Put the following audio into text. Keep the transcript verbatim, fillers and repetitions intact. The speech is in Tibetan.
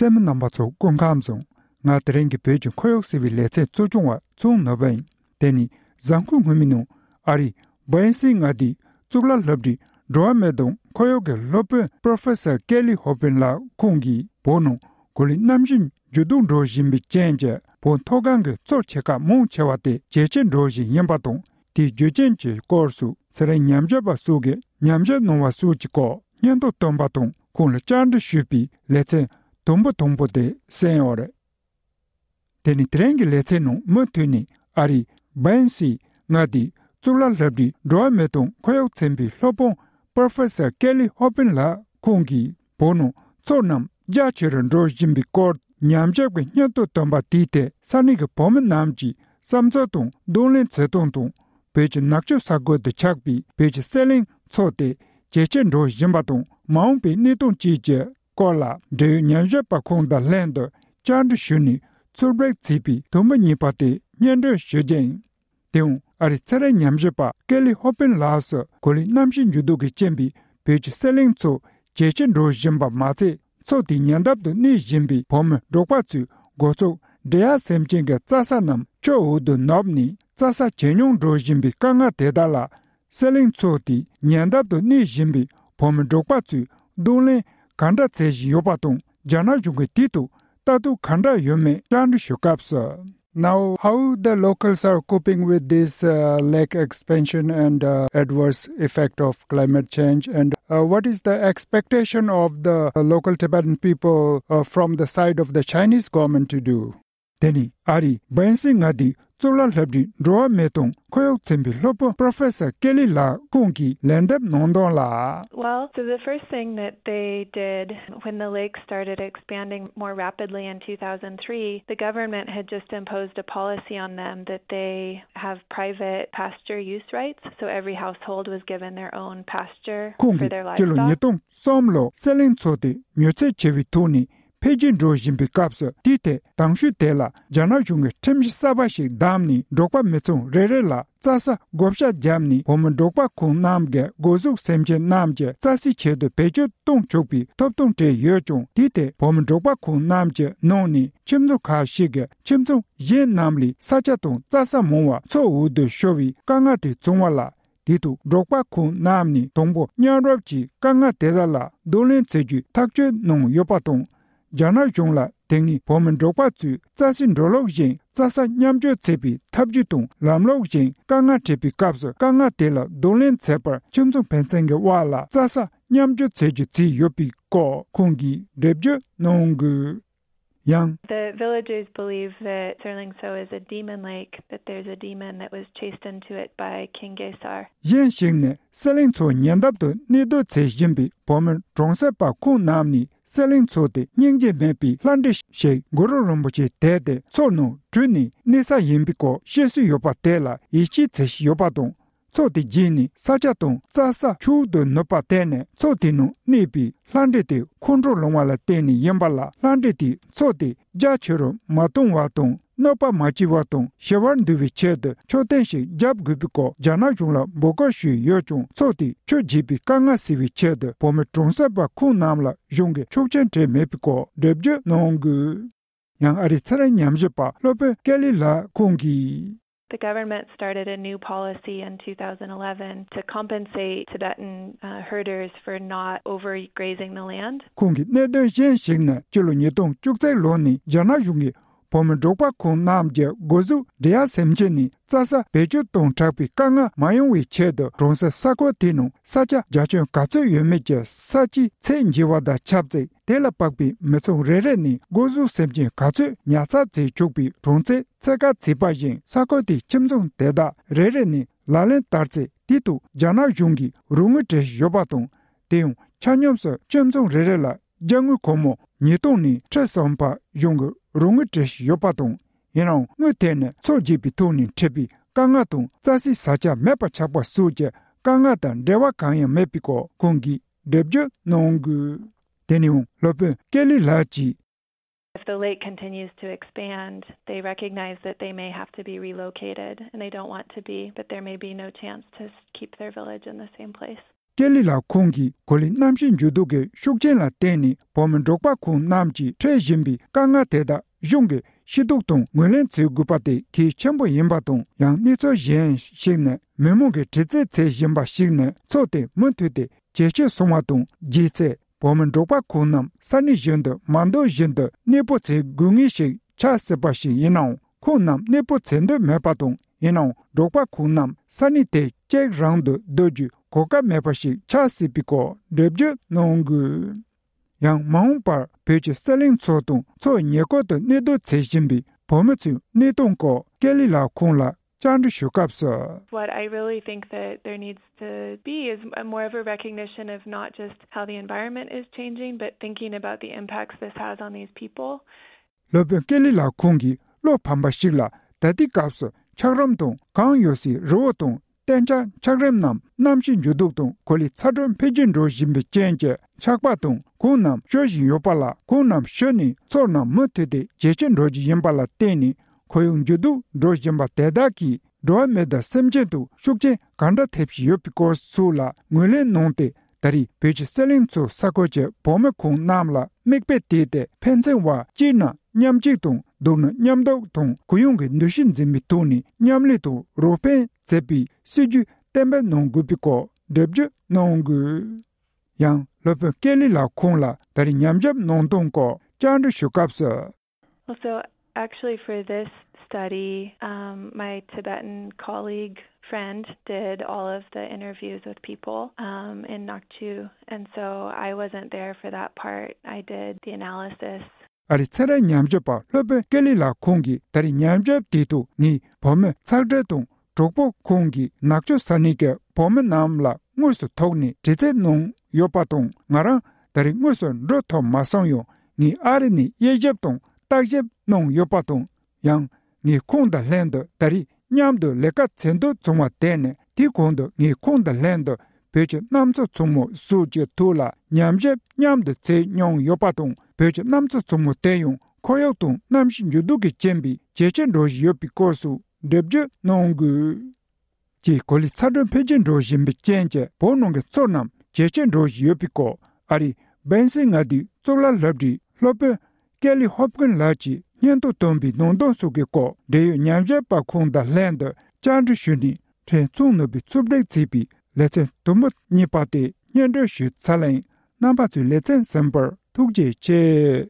གསན་མི་རྣམ་པ་ཚོ་སྐུ་ཁམས་བཟང་། ང་དེ་རིང་གི་བོད་ཀྱི་ཁོར་ཡུག་ཟེར་བའི་ལེ་ཚན་གཙོ་སྐྱོང་བ་ཚུང་ནོར་བུ་ཡིན། དེ་ནི་གཟའ་འཁོར་སྔོན་མའི་ནང་ཨ་རིའི་སྦན་སི་མངའ་སྡེའི་གཙུག་ལག་སློབ་གྲྭའི་འགྲོ་བ་མི་དང་ཁོར་ཡུག་གི་སློབ་དཔོན་Professor Kelly Hoppen ལགས་ཁོང་གིས་བོད་ནང་གོ་ལའི་གནམ་གཤིས་འགྱུར་ལྡོག་འགྲོ་བཞིན་པའི་རྐྱེན་གྱིས་བོད་མཐོ་སྒང་གི་མཚོ་ཆེ་ཁག་མང་ཆེ་བ་དེ་ཇེ་ཆེར་འགྲོ་བཞིན་ཡིན་པ་དང་། དེའི་རྒྱུ་རྐྱེན་གྱི་སྐོར་སུ་ཚན་རིག་ཉམས་ཞིབ་པ་སོགས་ཀྱིས་ཉམས་ཞིབ་གནང་བ་སོགས་ཀྱི་སྐོར་སྙན་ཐོ་བཏོན་པ་དང་། ཁོང་ལ་བཅར་འདྲི་ཞུས་པའི་ལེ་ཚན་དུམ་བུ་དང་པོ་དེ་གསན་ཡོད་རེད། དེ་ནི་དེ་རིང་གི་ལེ་ཚན་ནང་མུ་མཐུད་ནས་ཨ་རིའི་སྦན་སི་མངའ་སྡེའི་གཙུག་ལག་སློབ་གྲྭའི་འགྲོ་བ་མི་དང་ཁོར་ཡུག་ཚན་པའི་སློབ་དཔོན་Professor Kelly Hoppen ལགས་ཁོང་གིས་བོད་ནང་མཚོ་རྣམས་རྒྱ་ཆེ་རུ་འགྲོ་བཞིན་པའི་སྐོར་ཉམས་ཞིབ་ཀྱི་སྙན་ཐོ་བཏོན་པ་དེའི་ཐད་ས་གནས་ཀྱི་བོད་མི་རྣམས་ཀྱི་བསམ་ཚུལ་དང་གདོང་ལེན་བྱེད་སྟངས་དང་། བོད་ཀྱི་ནག་ཆུ་ས་ཁུལ་དུ་ཆགས་པའི་བོད་ཀྱི་སེ་ལིང་མཚོ་དེ་ཇེ་ཆེར་འགྲོ་བཞིན་པ་དང་མ་འོངས་པའི་གནས་སྟངས་བཅས་ཀྱི་སྐོར་ལ་འབྲེལ་ཡོད་ཉམས་ཞིབ་པ་ཁོང་དང་ལྷན་དུ་བཅར་འདྲི་ཞུས་ནས་ཚུར་སྦྲགས་བྱས་པའི་དུམ་བུ་གཉིས་པ་དེ་སྙན་སྒྲོན་ཞུ་རྒྱུ་ཡིན། དེའང་ཨ་རིའི་ཚན་རིག་ཉམས་ཞིབ་པ་ཀེ་ལི་ཧོ་པིན་ལགས་སུ་གོ་ལའི་གནམ་གཤིས་འགྱུར་ལྡོག་གི་རྐྱེན་པས་བོད་ཀྱི་སེ་ལིང་མཚོ་ཇེ་ཆེར་འགྲོ་བཞིན་པ་མ་ཚད། མཚོ་དེའི་ཉེ་འདབས་དུ་གནས་བཞིན་པའི་བོད་མི་འབྲོག་པ་ཚོའི་སྒོ་ཟོག་འབྲི་གཡག་སེམས་ཅན་གྱི་རྩྭ་ས་རྣམས་ཆུ་འོག་ཏུ་ནུབ་ནས་རྩྭ་ས་ཇེ་ཉུང་འགྲོ་བཞིན་པའི་དཀའ་ངལ་དེ་དག་ལ། སེ་ལིང་མཚོ་དེའི་ཉེ་འདབས་དུ་གནས་བཞིན་པའི་བོད་མི་འབྲོག་པ་ཚོས་གདོང་ལེན་ག་འདྲ་བྱེད་བཞིན་ཡོད་པ་དང་། རྒྱ་ནག་གཞུང་གིས་དེའི་ཐོག་ལྟ་རྟོག་ག་འདྲ་ཡོད་མེད་བཅར་འདྲི་ཞུ་སྐབས་སུ། Now, how the locals are coping with this uh, lake expansion and uh, adverse effect of climate change, and uh, what is the expectation of the uh, local Tibetan people uh, from the side of the Chinese government to do? དེ་ནི་ཨ་རིའི་སྦན་སི་མངའ་སྡེའི་གཙུག་ལག་སློབ་གྲྭའི་འགྲོ་བ་མི་དང་ཁོར་ཡུག་ཚན་པའི་སློབ་དཔོན་Professor Kelly ལགས་ཁོང་གིས་ལན་འདེབས་གནང་དོན་ལ། Well, so the first thing that they did when the lake started expanding more rapidly in two thousand three, the government had just imposed a policy on them that they have private pasture use rights, so every household was given their own pasture ཁོང་for གིས་their སྤྱི་ལོ་livestock. ཉིས་སྟོང་གསུམ་ལོར་སེ་ལིང་མཚོ་དེ་མྱུར་ཚད་ཆེ་བའི་ཐོག་ནས་འཕེལ་རྒྱས་འགྲོ་བཞིན་པའི་སྐབས་སུ། དེའི་ཐད་དང་ཤོས་དེ་ལ་རྒྱ་ནག་གཞུང་གིས་ཁྲིམས་གཞི་གསར་པ་ཞིག་བདམས་ནས་འབྲོག་པ་མི་ཚང་རེ་རེ་ལ་རྩྭ་ས་བགོ་བཤའ་བརྒྱབ་ནས་བོད་མི་འབྲོག་པ་ཁོང་རྣམས་ཀྱི་སྒོ་ཟོག་སེམས་ཅན་རྣམས་ཀྱི་རྩྭ་སའི་ཆེད་དུ་བེད་སྤྱོད་གཏོང་ཆོག་པའི་ཐོབ་ཐང་སྤྲད་ཡོད་ཀྱང་། དེའི་ཐད་བོད་མི་འབྲོག་པ་ཁོང་རྣམས་ཀྱི་ནང་ནས་ཁྱིམ་ཚང་ཁག་ཞིག་གིས་ཁྱིམ་ཚང་གཞན་རྣམས་ལས་ས་ཆ་དང་རྩྭ་ས་མང་བ་མཚོ་འོག་ཏུ་ཤོར་བའི་དཀའ་ངལ་དེ་བྱུང་བ་ལ། དེ་དུ་འབྲོག་པ་ཁོང་རྣམས་ནས་དང་པོ་མཉམ་རུབ་ཀྱིས་དཀའ་ངལ་དེ་དག་ལ་གདོང་ལེན་བྱེད་རྒྱུའི་ཐག་གཅོད་གནང་ཡོད་པ་དང་། རྒྱ་ནག་གཞུང་ལ་དེ་སྔའི་བོད་མི་འབྲོག་པ་ཚོས་རྩྭ་སའི་འགྲོ་ལུགས་བཞིན་རྩྭ་ས་མཉམ་སྤྱོད་བྱེད་པའི་ཐབས་ཇུས་དང་ལམ་ལུགས་བཞིན་དཀའ་ངལ་འཕྲད་པའི་སྐབས་སུ་དཀའ་ངལ་དེ་ལ་གདོང་ལེན་བྱེད་པར་ཁྱིམ་ཚང་ཕན་ཚུན་གྱི་དབར་ལ་རྩྭ་ས་མཉམ་སྤྱོད་བྱེད་རྒྱུ་བྱས་ཡོད་པའི་སྐོར་ཁོང་གིས་འགྲེལ་བརྗོད་གནང་དགོས། ཡང་། The villagers believe that Serling Tso is a demon lake, that there's a demon that was chased into it by King Gesar. གཞན་ཞིག་ནས་སེ་ལིང་མཚོ་ཉེ་འདབས་དུ་གནས་སྡོད་བྱེད་བཞིན་པའི་བོད་མི་གྲོང་གསེབ་པ་ཁོང་རྣམས་ནས་སེ་ལིང་མཚོ་དེ་སྙིང་རྗེ་མེད་པའི་ལྷ་འདྲེ་ཞིག་གུ་རུ་རིན་པོ་ཆེ་དེད་དེ་མཚོ་ནང་བྲོས་ནས་གནས་ས་ཡིན་པའི་སྐོར་བཤད་སྲོལ་ཡོད་པ་དེ་ལ་ཡིད་ཆེས་བྱེད་བཞིན་ཡོད་པ་དང་། མཚོ་དེ་རྒྱས་ནས་ས་ཆ་དང་རྩྭ་ས་ཆུ་འོག་ཏུ་ནུབ་པར་བརྟེན་ནས་མཚོ་དེ་ནང་གནས་པའི་ལྷ་འདྲེ་དེ་ཁོང་ཁྲོ་ལངས་པ་ལ་བརྟེན་ནས་ཡིན་པ་ལ། ལྷ་འདྲེ་དེས་མཚོ་དེ་རྒྱ་ཆེ་རུ་མ་གཏོང་བ་དང་། གནོད་པ་མ་བྱས་པ་དང་ཞི་བར་འདུལ་བའི་ཆེད་དུ་མཆོད་རྟེན་ཞིག་བརྒྱབ་དགོས་པའི་སྐོར་རྒྱ་ནག་གཞུང་ལ་འབོད་སྐུལ་ཞུས་ཡོད་ཀྱང་། མཚོ་དེས་ཆུ་རྒྱས་པའི་དཀའ་ངལ་སེལ་བའི་ཆེད་དུ་བོད་མི་གྲོང་གསེབ་པ་ཁོང་རྣམས་ལ་གཞུང་གིས་ཆོག་མཆན་སྤྲད་མེད་པའི་སྐོར་འགྲེལ་བརྗོད་གནང་དགོས། ཡང་ཨ་རིའི་ཚན་རིག་ཉམས་ཞིབ་པ་སློབ་དཔོན་ཀེ་ལི་ལགས་ཁོང་གིས། The government started a new policy in two thousand eleven to compensate Tibetan uh, herders for not overgrazing the land. ཁོང་གིས་གནད་དོན་གཞན་ཞིག་ནི་སྤྱི་ལོ་ཉིས་སྟོང་བཅུ་གཅིག་ལོ་ནས་རྒྱ་ནག་གཞུང་གིས་བོད་མི་འབྲོག་པ་ཁོང་རྣམས་ཀྱི་སྒོ་ཟོག་འབྲི་གཡག་སེམས་ཅན་ནས་རྩྭ་ས་བེད་སྤྱོད་གཏོང་དྲག་པའི་དཀའ་ངལ་མ་ཡོང་བའི་ཆེད་དུ་གྲོང་གསེབ་ས་ཁུལ་དེའི་ནང་ས་ཆ་རྒྱ་ཁྱོན་ག་ཚོད་ཡོད་མེད་ཀྱི་ས་ཆའི་ཚད་འཇལ་བ་དང་ཆབས་ཅིག་དེ་ལ་དཔག་པའི་མི་ཚང་རེ་རེ་ནས་སྒོ་ཟོག་སེམས་ཅན་ག་ཚོད་ཉར་ཚགས་བྱེད་ཆོག་པའི་གྲངས་ཚད་ཚད་བཀག་བྱས་པ་བཞིན། ས་ཁུལ་དེའི་ཁྱིམ་ཚང་དེ་དག་རེ་རེ་ནས་ལག་ལེན་བསྟར་ཚེ་དེ་དུ་རྒྱ་ནག་གཞུང་གིས་རོགས་དངུལ་སྤྲད་བཞིན་ཡོད་པ་དང་། དེ་ཡང་ཆ་སྙོམས་སུ་ཁྱིམ་ཚང་རེ་རེ་ལ་རྒྱ་དངུལ་སྒོར་མོ་ཉིས་སྟོང་ནས་ཁྲི་གསུམ་བར་གཞུང་གིས་རོགས་དངུལ་སྤྲད་བཞིན་ཡོད་པ་དང་། ཡིན་ནའང་དངུལ་དེ་ནི་མཚོ་རྒྱས་པའི་ཐོག་ནས་འཕྲད་པའི་དཀའ་ངལ་དང་། རྩྭ་སའི་ས་ཆ་མེད་པར་ཆགས་པ་སོགས་ཀྱི་དཀའ་ངལ་དང་འབྲེལ་བ་གང་ཡང་མེད་པའི་སྐོར་ཁོང་གིས་འགྲེལ་བརྗོད་གནང་དགོས། དེ་ནས་ཡང་སློབ་དཔོན་ཀེ་ལི་ལགས་ཀྱིས། If the lake continues to expand, they recognize that they may have to be relocated, and they don't want to be, but there may be no chance to s- keep their village in the same place. ཀེ་ལི་ལགས་ཁོང་གིས་གོ་ལའི་གནམ་གཤིས་འགྱུར་ལྡོག་གི་ཤུགས་རྐྱེན་ལ་བརྟེན་ནས་བོད་མི་འབྲོག་པ་ཁོང་རྣམས་ཀྱིས་འཕྲད་བཞིན་པའི་དཀའ་ངལ་དེ་དག་གཞུང་གིས་ཤེས་རྟོགས་དང་ངོས་ལེན་བྱེད་དགོས་པ་དེ་གལ་ཆེན་པོ་ཡིན་པ་དང་། ཡང་གནས་ཚུལ་གཞན་ཞིག་ནི། མི་མང་གིས་དྲི་རྩད་བྱེད་བཞིན་པ་ཞིག་ནི། མཚོ་དེ་མུ་མཐུད་དེ་ཇེ་ཆེར་སོང་བ་དང་། རྗེས་ཚེ་བོད་མི་འབྲོག་པ་ཁོང་རྣམས་ས་གནས་གཞན་དུ་མ་འདོད་བཞིན་དུ་གནས་སྤོ་བྱེད་དགོས་ངེས་ཤིག་ཆགས་སྲིད་པ་ཞིག་ཡིན་ནའང་། ཁོང་རྣམས་གནས་སྤོ་བྱེད་འདོད་མེད་པ་དང་། ཡིན་ནའང་འབྲོག་པ་ཁོང་རྣམས་ས་གནས་དེ་གཅིག་རང་དུ་སྡོད་རྒྱུའི་གོ་སྐབས་མེད་པ་ཞིག་ཆགས་སྲིད་པའི་སྐོར་འགྲེལ་བརྗོད་གནང་དགོས། ཡང་མ་འོངས་པར་བོད་ཀྱི་གསེར་གླིང་མཚོ་དང་མཚོ་ཉེ་འཁོར་དུ་གནས་སྡོད་བྱེད་བཞིན་པའི་བོད་མི་ཚོའི་གནས་སྟངས་སྐོར་ཀེ་ལི་ལགས་ཁོང་ལ་བཅར་འདྲི་ཞུ་སྐབས་སུ། What I really think that there needs to be is a more of a recognition of not just how the environment is changing, but thinking about the impacts this has on these people. སློབ་དཔོན་ཀེ་ལི་ལགས་ཁོང་གིས་བློ་ཕམ་པ་ཞིག་ལ། ད་ལྟའི་སྐབས་སུ་འཁྱགས་རོམ་དང་གངས་གཡོལ་སའི་རི་བོ་དང་། གཏན་ཆགས་འཁྱགས་རོམ་རྣམས་གནམ་གཤིས་འགྱུར་ལྡོག་དང་གོ་ལའི་ཚ་དྲོད་འཕེལ་རྒྱས་འགྲོ་བཞིན་པའི་རྐྱེན་གྱིས་འཁྱགས་པ་དང་གངས་རྣམས་ཤོར་བཞིན་ཡོད་པ་ལ། གངས་རྣམས་ཤོར་ནས་མཚོ་རྣམས་མུ་མཐུད་དེ་ཇེ་ཆེར་འགྲོ་རྒྱུ་ཡིན་པ་ལ་བརྟེན་ནས། ཁོར་ཡུག་འགྱུར་ལྡོག་འགྲོ་བཞིན་པ་དེ་དག་གིས་འགྲོ་བ་མི་དང་སེམས་ཅན་དུ་ཤུགས་རྐྱེན་གང་འདྲ་ཐེབས་བཞིན་ཡོད་པའི་སྐོར་སོགས་ལ་ངོས་ལེན་གནང་སྟེ། ད་རེས་བོད་ཀྱི་གསེར་གླིང་མཚོ་ས་ཁུལ་གྱི་བོད་མི་ཁོང་རྣམས་ལ་མིག་དཔེ་བལྟས་ཏེ། ཕན་ཚུན་བར་གཅིག་ན་མཉམ་གཅིག་དང་། སྡུག་ན་མཉམ་སྡུག་དང་། གུ་ཡངས་ཀྱི་འདུ་ཤེས་འཛིན་པའི་ཐོག་ནས་མཉམ་ལས་དང་རོགས་ཕན་བྱེད་པའི་སྲིད་ཇུས་གཏན་འབེབས་གནང་དགོས་པའི་སྐོར་འགྲེལ་བརྗོད་གནང་དགོས། ཡང་སློབ་དཔོན་ཀེ་ལི་ལགས་ཁོང་ལ་ད་རེས་ཉམས་ཞིབ་གནང་སྟངས་སྐོར་བཅར་འདྲི་ཞུ་སྐབས་སུ། Well, so actually, for this study, um, my Tibetan colleague friend did all of the interviews with people, um, in Nakchu, and so I wasn't there for that part. I did the analysis. ཨ་རིའི་ཚན་རིག་ཉམས་ཞིབ་པ་སློབ་དཔོན་ཀེ་ལི་ལགས་ཁོང་གིས་ད་རེས་ཉམས་ཞིབ་དེའི་ཐོག་ངས་བོད་མི་ཚག་སྒྲིལ་དང་། གྲོགས་པོ་ཁོང་གིས་ནག་ཆུ་ས་གནས་ཀྱི་བོད་མི་རྣམས་ལ་དངོས་སུ་ཐུག་ནས་དྲི་རྩད་གནང་ཡོད་པ་དང་། ང་རང་ད་རེས་དངོས་སུ་འགྲོ་ཐུབ་མ་སོང་ཡང་། ངས་ཨ་རི་ནས་དབྱེ་ཞིབ་དང་བརྟག་ཞིབ་གནང་ཡོད་པ་དང་། ཡང་ངས་ཁོང་དང་ལྷན་དུ་ད་རེས་མཉམ་དུ་ལས་ཀ་བྱེད་འདོད་བྱུང་བ་དེ་ནི། དེའི་གོང་དུ་ངས་ཁོང་དང་ལྷན་དུ་བོད་ཀྱི་གནམ་མཚོ་ཆུང་མོ་སོགས་ཀྱི་ཐོག་ལ་ཉམས་ཞིབ་མཉམ་དུ་བྱས་མྱོང་ཡོད་པ་དང་། བོད་ཀྱི་གནམ་མཚོ་ཆུང་མོ་དེ་ཡང་ཁོར་ཡུག་དང་གནམ་གཤིས་འགྱུར་ལྡོག་གི་རྐྱེན་པས་ཇེ་ཆེར་འགྲོ་བཞིན་ཡོད་པའི་སྐོར་སོགས་འགྲེལ་བརྗོད་གནང་དགོས། ཀྱི་གོ་ལའི་ཚ་དྲོད་འཕེལ་རྒྱས་འགྲོ་བཞིན་པའི་རྐྱེན་གྱིས་བོད་ནང་གི་མཚོ་རྣམས་ཇེ་ཆེར་འགྲོ་བཞིན་ཡོད་པའི་སྐོར། ཨ་རིའི་སྦན་སི་མངའ་སྡེའི་གཙུག་ལག་སློབ་གྲྭའི་སློབ་དཔོན་ཀེ་ལི་ཧོབ་ཀིན་ལགས་ཀྱིས་སྙན་ཐོ་བཏོན་པའི་ནང་དོན་སོགས་ཀྱི་སྐོར། འབྲེལ་ཡོད་ཉམས་ཞིབ་པ་ཁོང་དང་ལྷན་དུ་བཅར་འདྲི་ཞུས་ནས། ཕྲན་ཚེ་ནོར་བུས་ཕྱོགས་སྒྲིག་བྱས་པའི་ལེ་ཚན་དུམ་བུ་གཉིས་པ་དེ་སྙན་སྒྲོན་ཞུས་ཚར་ལ་ཡིན། རྣམ་པ་ཚོས་ལེ་ཚན་གསན་པར་ཐུགས་རྗེ་ཆེ།